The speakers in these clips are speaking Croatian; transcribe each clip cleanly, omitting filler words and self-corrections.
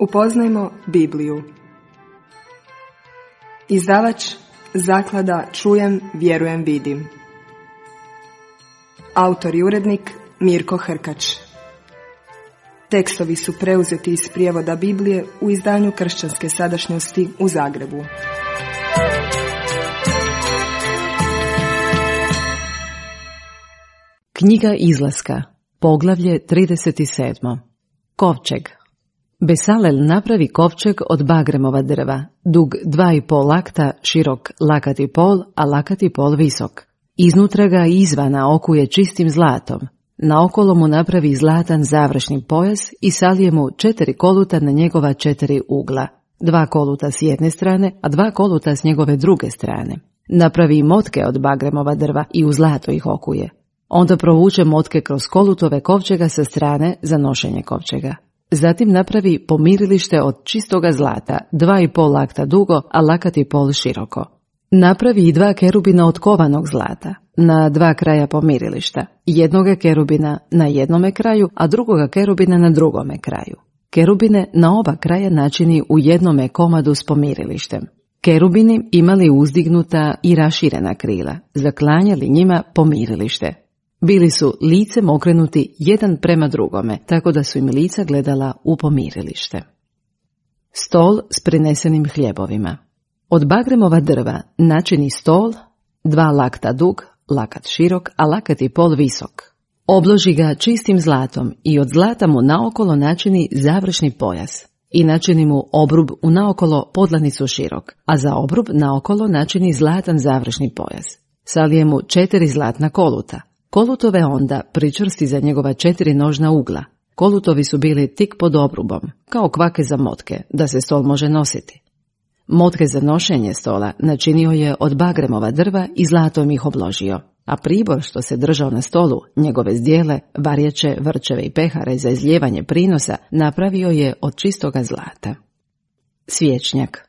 Upoznajmo Bibliju. Izdavač Zaklada Čujem, vjerujem, vidim. Autor i urednik Mirko Hrkač. Tekstovi su preuzeti iz prijevoda Biblije u izdanju Kršćanske sadašnjosti u Zagrebu. Knjiga Izlaska, poglavlje 37. Kovčeg. Besalel napravi kovčeg od bagremova drva, dug 2,5 lakta, širok 1,5 lakt, a 1,5 lakt visok. Iznutra ga izvana okuje čistim zlatom. Naokolo mu napravi zlatan završni pojas i salije mu 4 koluta na njegova 4 ugla, 2 koluta s jedne strane, a 2 koluta s njegove druge strane. Napravi motke od bagremova drva i u zlato ih okuje. Onda provuče motke kroz kolutove kovčega sa strane za nošenje kovčega. Zatim napravi pomirilište od čistoga zlata, 2,5 lakta dugo, a 1,5 lakt široko. Napravi i 2 kerubina od kovanog zlata, na 2 kraja pomirilišta, jednoga kerubina na jednome kraju, a drugoga kerubina na drugome kraju. Kerubine na oba kraja načini u jednome komadu s pomirilištem. Kerubini imali uzdignuta i raširena krila, zaklanjali njima pomirilište. Bili su licem okrenuti jedan prema drugome, tako da su im lica gledala u pomirilište. Stol s prinesenim hljebovima. Od bagremova drva načini stol, 2 lakta dug, lakat širok, a 1,5 lakt visok. Obloži ga čistim zlatom i od zlata mu naokolo načini završni pojas i načini mu obrub u naokolo podlanicu širok, a za obrub naokolo načini zlatan završni pojas. Salije mu 4 zlatna koluta. Kolutove onda pričvrsti za njegova 4 nožna ugla. Kolutovi su bili tik pod obrubom, kao kvake za motke, da se stol može nositi. Motke za nošenje stola načinio je od bagremova drva i zlatom ih obložio, a pribor što se držao na stolu, njegove zdjele, varjeće, vrčeve i pehare za izlijevanje prinosa, napravio je od čistoga zlata. Svječnjak.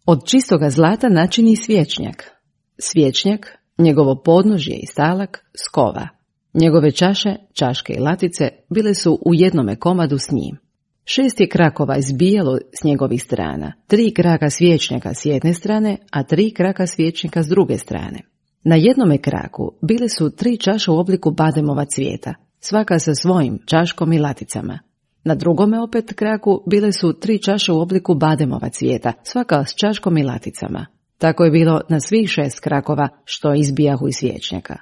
Od čistoga zlata načini svječnjak. Svječnjak, njegovo podnožje i stalak, skova. Njegove čaše, čaške i latice bile su u jednome komadu s njim. 6 je krakova izbijalo s njegovih strana, 3 kraka svječnjaka s jedne strane, a 3 kraka svječnjaka s druge strane. Na jednome kraku bile su 3 čaše u obliku bademova cvijeta, svaka sa svojim čaškom i laticama. Na drugome opet kraku bile su 3 čaše u obliku bademova cvijeta, svaka s čaškom i laticama. Tako je bilo na svih 6 krakova što izbijahu iz svječnjaka.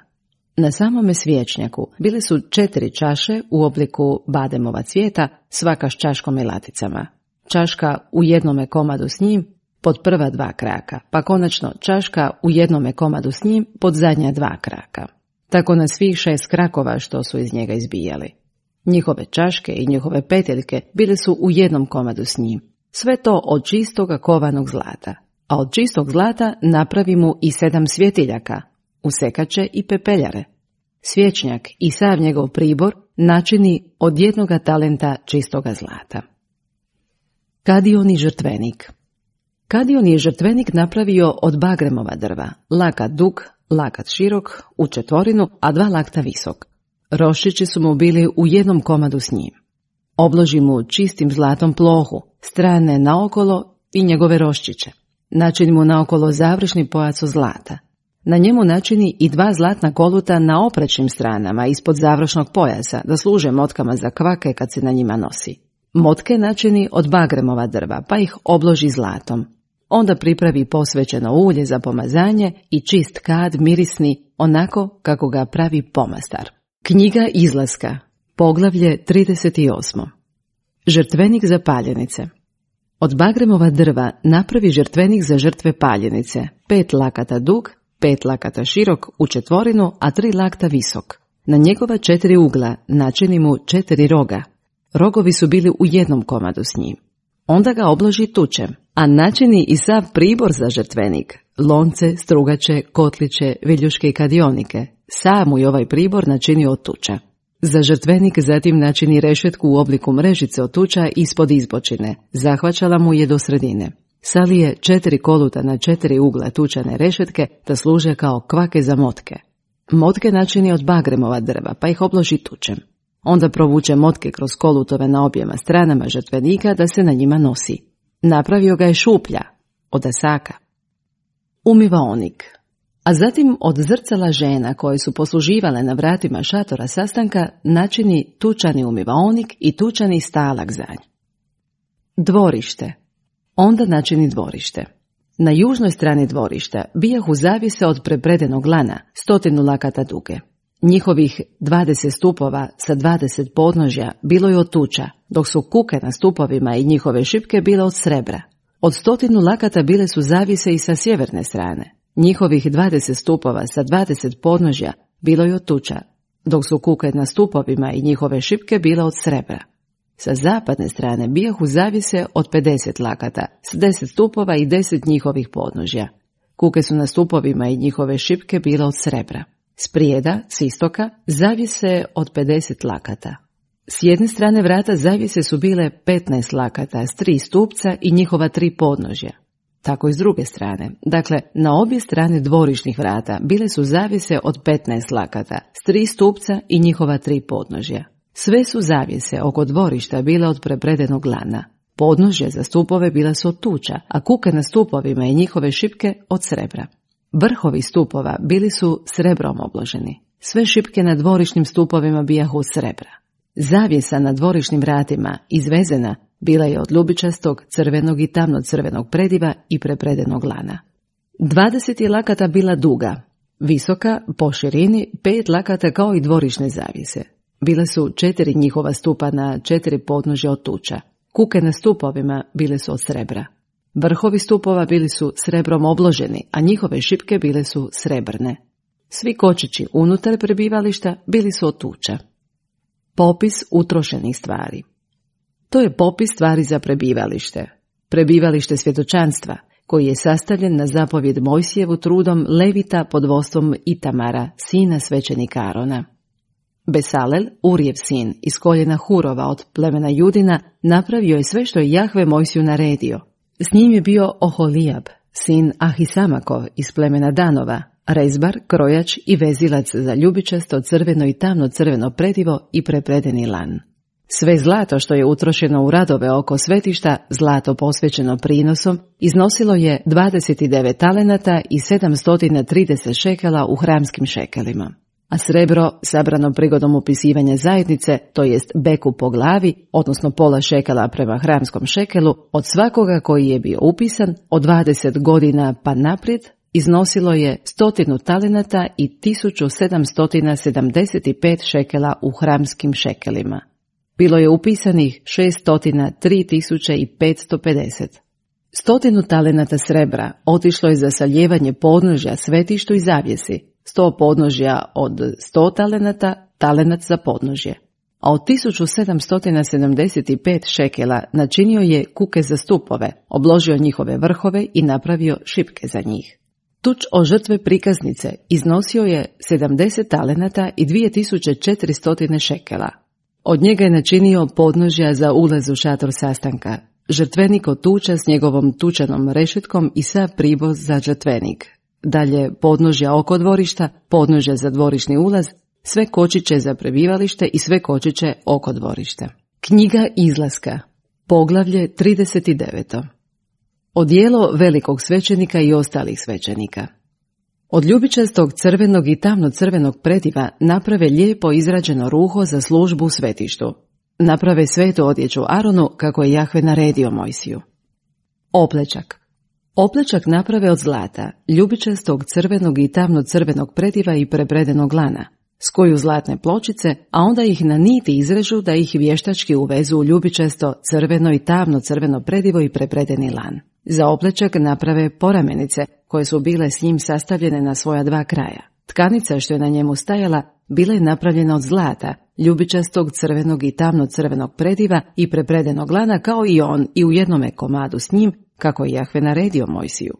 Na samome svječnjaku bile su 4 čaše u obliku bademova cvijeta, svaka s čaškom i laticama. Čaška u jednome komadu s njim pod prva 2 kraka, pa konačno čaška u jednome komadu s njim pod zadnja 2 kraka. Tako na svih 6 krakova što su iz njega izbijali. Njihove čaške i njihove peteljke bile su u jednom komadu s njim. Sve to od čistoga kovanog zlata. A od čistog zlata napravi mu i 7 svjetiljaka, usekače i pepeljare. Svječnjak i sav njegov pribor načini od 1 talenta čistoga zlata. Kadion i žrtvenik. Kadion je žrtvenik napravio od bagremova drva, lakat dug, lakat širok, u četvorinu, a 2 lakta visok. Roščići su mu bili u jednom komadu s njim. Obloži mu čistim zlatom plohu, strane naokolo i njegove roščiće. Načini mu naokolo završni pojas od zlata. Na njemu načini i 2 zlatna koluta na oprečnim stranama ispod završnog pojasa, da služe motkama za kvake kad se na njima nosi. Motke načini od bagremova drva, pa ih obloži zlatom. Onda pripravi posvećeno ulje za pomazanje i čist kad mirisni, onako kako ga pravi pomastar. Knjiga Izlaska, poglavlje 38. Žrtvenik za paljenice. Od bagremova drva napravi žrtvenik za žrtve paljenice, 5 lakata dug, 5 lakata širok, u četvorinu, a 3 lakta visok. Na njegova 4 ugla načini mu 4 roga. Rogovi su bili u jednom komadu s njim. Onda ga obloži tučem, a načini i sav pribor za žrtvenik, lonce, strugače, kotliće, viljuške i kadionike. Sam mu i ovaj pribor načinio od tuča. Za žrtvenik zatim načini rešetku u obliku mrežice od tuča ispod izbočine, zahvaćala mu je do sredine. Salije 4 koluta na 4 ugla tučane rešetke da služe kao kvake za motke. Motke načini od bagremova drva, pa ih obloži tučem. Onda provuče motke kroz kolutove na objema stranama žrtvenika da se na njima nosi. Napravio ga je šuplja, od asaka. Umivaonik. A zatim od zrcala žena koje su posluživale na vratima šatora sastanka načini tučani umivaonik i tučani stalak za nj. Dvorište. Onda načini dvorište. Na južnoj strani dvorišta bijahu zavise od prepredenog lana 100 lakata duge. Njihovih 20 stupova sa 20 podnožja bilo je od tuča, dok su kuke na stupovima i njihove šipke bile od srebra. Od 100 lakata bile su zavise i sa sjeverne strane. Njihovih 20 stupova sa 20 podnožja bilo je od tuča, dok su kuke na stupovima i njihove šipke bile od srebra. Sa zapadne strane bijahu zavise od 50 lakata, s 10 stupova i 10 njihovih podnožja. Kuke su na stupovima i njihove šipke bile od srebra. Sprijeda, s istoka, zavise od 50 lakata. S jedne strane vrata zavise su bile 15 lakata s 3 stupca i njihova 3 podnožja. Tako i s druge strane. Dakle, na obje strane dvorišnih vrata bile su zavise od 15 lakata s 3 stupca i njihova 3 podnožja. Sve su zavjese oko dvorišta bile od prepredenog lana. Podnožje za stupove bila su od tuča, a kuke na stupovima i njihove šipke od srebra. Vrhovi stupova bili su srebrom obloženi. Sve šipke na dvorišnim stupovima bijahu od srebra. Zavjesa na dvorišnim vratima, izvezena, bila je od ljubičastog, crvenog i tamno-crvenog prediva i prepredenog lana. 20 lakata bila duga, visoka, po širini 5 lakata kao i dvorišne zavjese. Bile su 4 njihova stupa na 4 podnožja od tuča. Kuke na stupovima bile su od srebra. Vrhovi stupova bili su srebrom obloženi, a njihove šipke bile su srebrne. Svi kočići unutar prebivališta bili su od tuča. Popis utrošenih stvari. To je popis stvari za prebivalište. Prebivalište svjedočanstva, koji je sastavljen na zapovjed Mojsijevu trudom Levita pod vodstvom Itamara, sina svećenika Arona. Besalel, Urijev sin, iz koljena Hurova od plemena Judina, napravio je sve što je Jahve Mojsiju naredio. S njim je bio Oholijab, sin Ahisamakov iz plemena Danova, rezbar, krojač i vezilac za ljubičasto, crveno i tamno crveno predivo i prepredeni lan. Sve zlato što je utrošeno u radove oko svetišta, zlato posvećeno prinosom, iznosilo je 29 talenata i 730 šekela u hramskim šekelima. A srebro, sabrano prigodom upisivanja zajednice, to jest beku po glavi, odnosno pola šekela prema hramskom šekelu, od svakoga koji je bio upisan, od 20 godina pa naprijed, iznosilo je 100 talenata i 1775 šekela u hramskim šekelima. Bilo je upisanih 603.550. 100 talenata srebra otišlo je za saljevanje podnožja svetištu i zavjesi, 100 podnožja od 100 talenata, talenat za podnožje. A od 1775 šekela načinio je kuke za stupove, obložio njihove vrhove i napravio šipke za njih. Tuč o žrtve prikaznice iznosio je 70 talenata i 2400 šekela. Od njega je načinio podnožja za ulaz u šator sastanka, žrtvenik od tuča s njegovom tučanom rešetkom i sav privoz za žrtvenik. Dalje podnožja oko dvorišta, podnožja za dvorišni ulaz, sve kočiće za prebivalište i sve kočiće oko dvorišta. Knjiga izlaska, poglavlje 39. Odijelo velikog svećenika i ostalih svećenika. Od ljubičastog crvenog i tamno-crvenog prediva naprave lijepo izrađeno ruho za službu u svetištu. Naprave svetu odjeću Aronu kako je Jahve naredio Mojsiju. Oplečak. Oplečak naprave od zlata, ljubičastog crvenog i tamno-crvenog prediva i prepredenog lana. Skuju zlatne pločice, a onda ih na niti izrežu da ih vještački uvezu u ljubičasto crveno i tamno-crveno predivo i prepredeni lan. Za oplečak naprave poramenice, koje su bile s njim sastavljene na svoja 2 kraja. Tkanica što je na njemu stajala bila je napravljena od zlata, ljubičastog crvenog i tamno-crvenog prediva i prepredenog lana kao i on i u jednome komadu s njim, kako je Jahve naredio Mojsiju.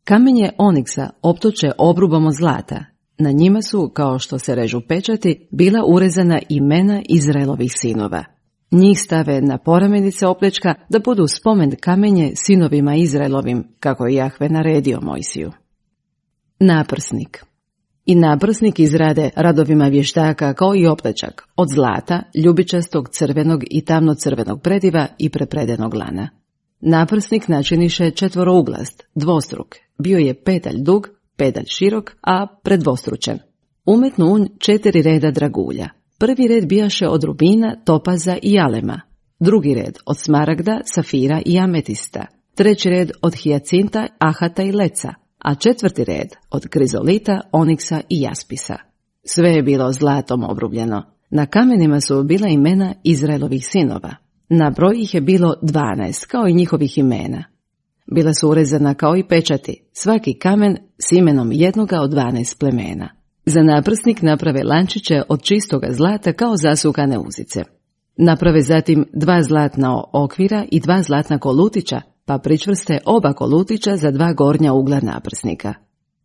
Kamenje oniksa optoče obrubom od zlata. Na njima su, kao što se režu pečati, bila urezana imena Izraelovih sinova. Njih stave na poramenice oplečka da budu spomen kamenje sinovima Izraelovim, kako je Jahve naredio Mojsiju. Naprsnik. I naprsnik izrade radovima vještaka kao i oplečak od zlata, ljubičastog, crvenog i tamno-crvenog prediva i prepredenog lana. Naprsnik načiniše četvorouglast, dvostruk, bio je pedalj dug, pedalj širok, a predvostručen. Umetnu unj 4 reda dragulja. Prvi red bijaše od rubina, topaza i alema, drugi red od smaragda, safira i ametista, treći red od hijacinta, ahata i leca, a četvrti red od krizolita, oniksa i jaspisa. Sve je bilo zlatom obrubljeno. Na kamenima su bila imena Izraelovih sinova. Na broj ih je bilo 12, kao i njihovih imena. Bila su urezana kao i pečati, svaki kamen s imenom jednoga od 12 plemena. Za naprsnik naprave lančiće od čistoga zlata kao zasukane uzice. Naprave zatim 2 zlatna okvira i 2 zlatna kolutića, pa pričvrste oba kolutića za 2 gornja ugla naprsnika.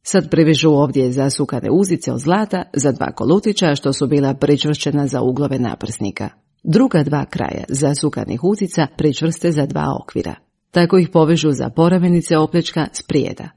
Sad privežu ovdje zasukane uzice od zlata za 2 kolutića što su bila pričvršćena za uglove naprsnika. Druga 2 kraja zasukanih uzica pričvrste za 2 okvira. Tako ih povežu za poramenice oplečka sprijeda.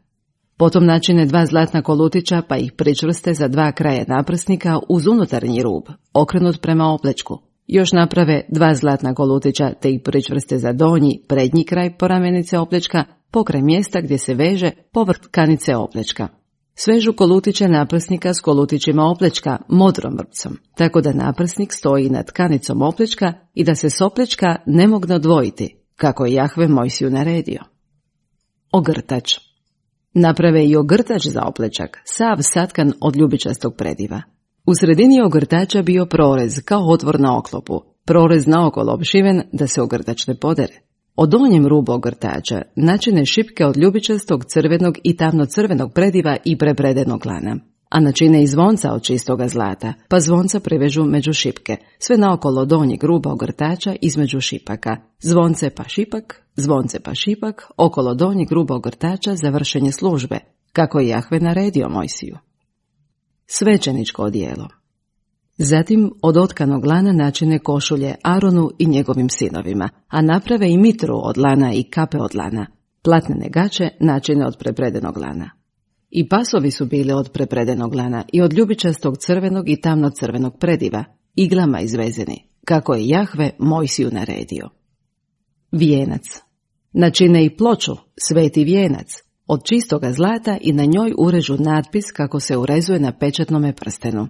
Potom načine 2 zlatna kolutića pa ih pričvrste za 2 kraja naprsnika uz unutarnji rub, okrenut prema oplečku. Još naprave 2 zlatna kolutića te ih pričvrste za donji, prednji kraj poramenice oplečka, pokraj mjesta gdje se veže povrh tkanice oplečka. Svežu kolutiće naprsnika s kolutićima oplečka modrom vrpcom, tako da naprsnik stoji nad tkanicom oplečka i da se s oplečka ne mogne odvojiti, kako je Jahve Mojsiju naredio. Ogrtač. Naprave i ogrtač za oplečak, sav satkan od ljubičastog prediva. U sredini ogrtača bio prorez kao otvor na oklopu, prorez naokolo opšiven da se ogrtač ne podere. Od donjem rubu ogrtača načine šipke od ljubičastog, crvenog i tamno-crvenog prediva i prepredenog lana, a načine i zvonca od čistoga zlata, pa zvonca privežu među šipke, sve naokolo donjeg ruba ogrtača između šipaka, zvonce pa šipak, okolo donjeg ruba ogrtača za vršenje službe, kako je Jahve naredio Mojsiju. Svećeničko odijelo. Zatim od otkanog lana načine košulje Aronu i njegovim sinovima, a naprave i mitru od lana i kape od lana, platnene gaće načine od prepredenog lana. I pasovi su bili od prepredenog lana i od ljubičastog crvenog i tamno-crvenog prediva, iglama izvezeni, kako je Jahve Mojsiju naredio. Vijenac. Načine i ploču, sveti vijenac, od čistoga zlata i na njoj urežu natpis kako se urezuje na pečatnome prstenu.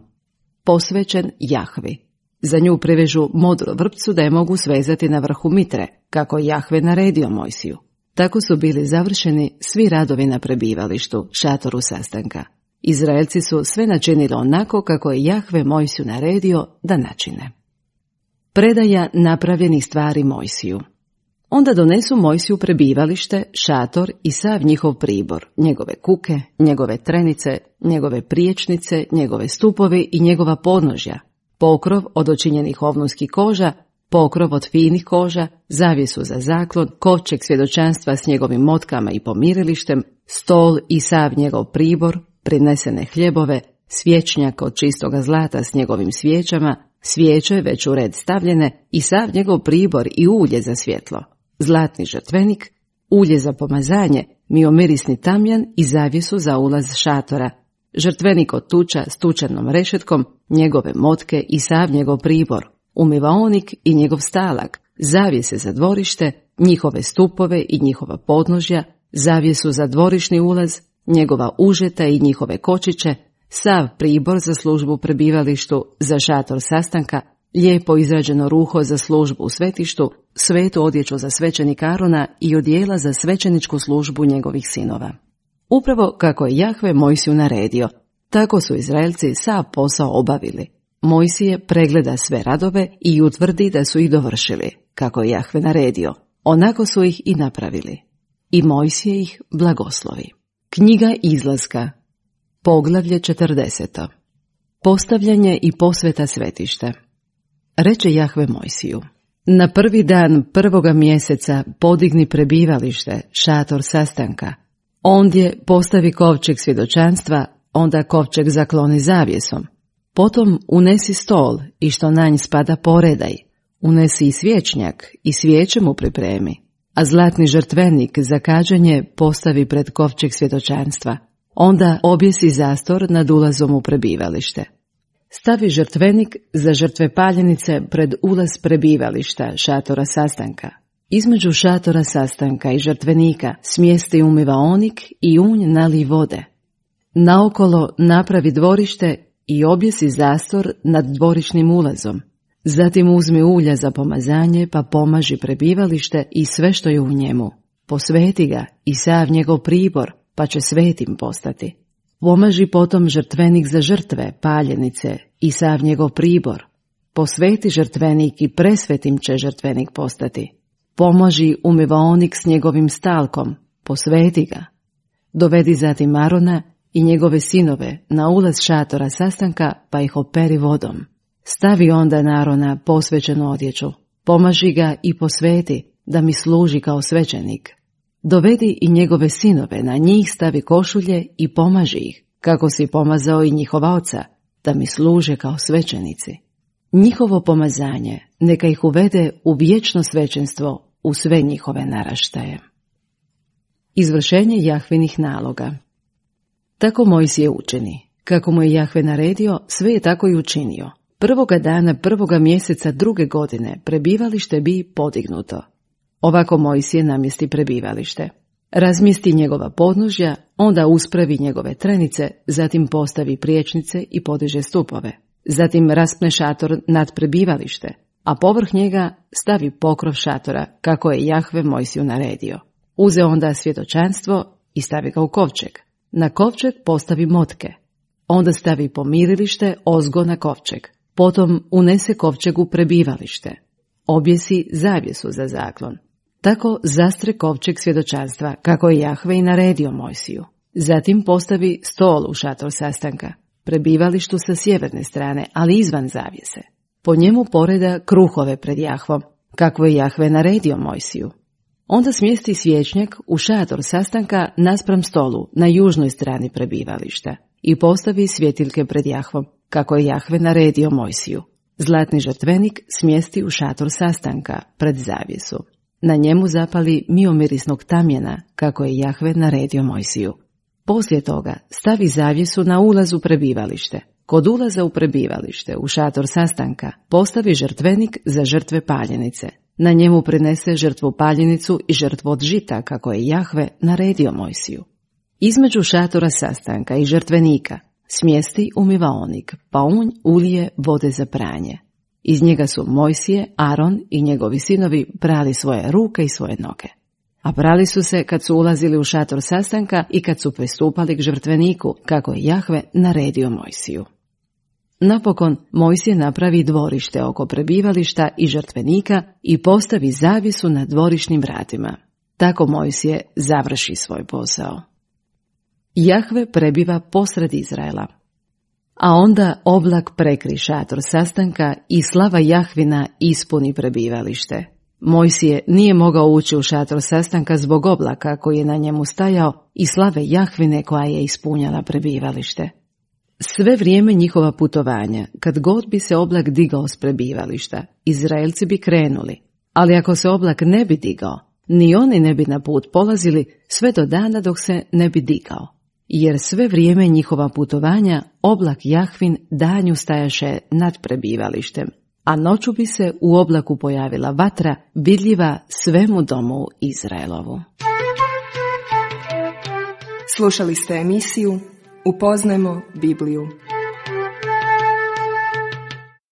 Posvećen Jahvi. Za nju privežu modru vrpcu da je mogu svezati na vrhu mitre, kako je Jahve naredio Mojsiju. Tako su bili završeni svi radovi na prebivalištu, šatoru sastanka. Izraelci su sve načinili onako kako je Jahve Mojsiju naredio da načine. Predaja napravljenih stvari Mojsiju. Onda donesu Mojsiju prebivalište, šator i sav njihov pribor, njegove kuke, njegove trenice, njegove priječnice, njegove stupovi i njegova podnožja, pokrov od očinjenih ovnunskih koža, pokrov od finih koža, zavjesu za zaklon, kovčeg svjedočanstva s njegovim motkama i pomirilištem, stol i sav njegov pribor, prinesene hljebove, svječnjak od čistoga zlata s njegovim svijećama, svijeće već u red stavljene i sav njegov pribor i ulje za svjetlo, zlatni žrtvenik, ulje za pomazanje, miomirisni tamjan i zavjesu za ulaz šatora, žrtvenik od tuča s tučanom rešetkom, njegove motke i sav njegov pribor, umivaonik i njegov stalak, zavjese za dvorište, njihove stupove i njihova podnožja, zavjesu za dvorišni ulaz, njegova užeta i njihove kočiće, sav pribor za službu u prebivalištu, za šator sastanka, lijepo izrađeno ruho za službu u svetištu, svetu odjeću za svećenika Arona i odijela za svećeničku službu njegovih sinova. Upravo kako je Jahve Mojsiju naredio, tako su Izraelci sav posao obavili. Mojsije pregleda sve radove i utvrdi da su ih dovršili, kako je Jahve naredio. Onako su ih i napravili. I Mojsije ih blagoslovi. Knjiga Izlaska. Poglavlje 40. Postavljanje i posveta svetišta. Reče Jahve Mojsiju: na prvi dan prvoga mjeseca podigni prebivalište, šator sastanka. Ondje postavi kovčeg svjedočanstva, onda kovčeg zakloni zavjesom. Potom unesi stol i što na nj spada poredaj. Unesi i svječnjak i svijeće mu pripremi. A zlatni žrtvenik za kađenje postavi pred kovčeg svjedočanstva. Onda objesi zastor nad ulazom u prebivalište. Stavi žrtvenik za žrtve paljenice pred ulaz prebivališta, šatora sastanka. Između šatora sastanka i žrtvenika smjesti umivaonik i unj nali vode. Naokolo napravi dvorište i objesi zastor nad dvorišnim ulazom. Zatim uzmi ulja za pomazanje pa pomaži prebivalište i sve što je u njemu. Posveti ga i sav njegov pribor pa će svetim postati. Pomaži potom žrtvenik za žrtve, paljenice i sav njegov pribor. Posveti žrtvenik i presvetim će žrtvenik postati. Pomaži umivaonik s njegovim stalkom, posveti ga. Dovedi zatim Arona i njegove sinove na ulaz šatora sastanka pa ih operi vodom. Stavi onda na Arona posvećenu odjeću, pomaži ga i posveti da mi služi kao svećenik. Dovedi i njegove sinove, na njih stavi košulje i pomaži ih, kako si pomazao i njihova oca, da mi služe kao svećenici. Njihovo pomazanje neka ih uvede u vječno svećenstvo u sve njihove naraštaje. Izvršenje Jahvinih naloga. Tako Mojsije učini. Kako mu je Jahve naredio, sve je tako i učinio. Prvoga dana prvoga mjeseca druge godine prebivalište bi podignuto. Ovako Mojsije namjesti prebivalište. Razmjesti njegova podnožja, onda uspravi njegove trenice, zatim postavi priječnice i podiže stupove. Zatim raspne šator nad prebivalište, a povrh njega stavi pokrov šatora, kako je Jahve Mojsiju naredio. Uze onda svjedočanstvo i stavi ga u kovčeg. Na kovčeg postavi motke. Onda stavi pomirilište ozgo na kovčeg. Potom unese kovčeg u prebivalište. Objesi zavjesu za zaklon. Tako zastre kovčeg svjedočanstva, kako je Jahve i naredio Mojsiju. Zatim postavi stol u šator sastanka, prebivalištu sa sjeverne strane, ali izvan zavjese. Po njemu poreda kruhove pred Jahvom, kako je Jahve naredio Mojsiju. Onda smjesti svječnjak u šator sastanka naspram stolu na južnoj strani prebivališta i postavi svjetiljke pred Jahvom, kako je Jahve naredio Mojsiju. Zlatni žrtvenik smjesti u šator sastanka pred zavjesu. Na njemu zapali miomirisnog tamjena, kako je Jahve naredio Mojsiju. Poslije toga stavi zavjesu na ulaz u prebivalište. Kod ulaza u prebivalište, u šator sastanka, postavi žrtvenik za žrtve paljenice. Na njemu prinese žrtvu paljenicu i žrtvu od žita, kako je Jahve naredio Mojsiju. Između šatora sastanka i žrtvenika smjesti umivaonik, pa unj ulije vode za pranje. Iz njega su Mojsije, Aron i njegovi sinovi prali svoje ruke i svoje noge. A prali su se kad su ulazili u šator sastanka i kad su pristupali k žrtveniku, kako je Jahve naredio Mojsiju. Napokon Mojsije napravi dvorište oko prebivališta i žrtvenika i postavi zavjesu na dvorišnim vratima. Tako Mojsije završi svoj posao. Jahve prebiva posred Izraela. A onda oblak prekri šator sastanka i slava Jahvina ispuni prebivalište. Mojsije nije mogao ući u šator sastanka zbog oblaka koji je na njemu stajao i slave Jahvine koja je ispunjala prebivalište. Sve vrijeme njihova putovanja, kad god bi se oblak digao s prebivališta, Izraelci bi krenuli, ali ako se oblak ne bi digao, ni oni ne bi na put polazili sve do dana dok se ne bi digao. Jer sve vrijeme njihova putovanja oblak Jahvin danju stajaše nad prebivalištem, a noću bi se u oblaku pojavila vatra vidljiva svemu domu Izraelovu. Slušali ste emisiju Upoznajmo Bibliju.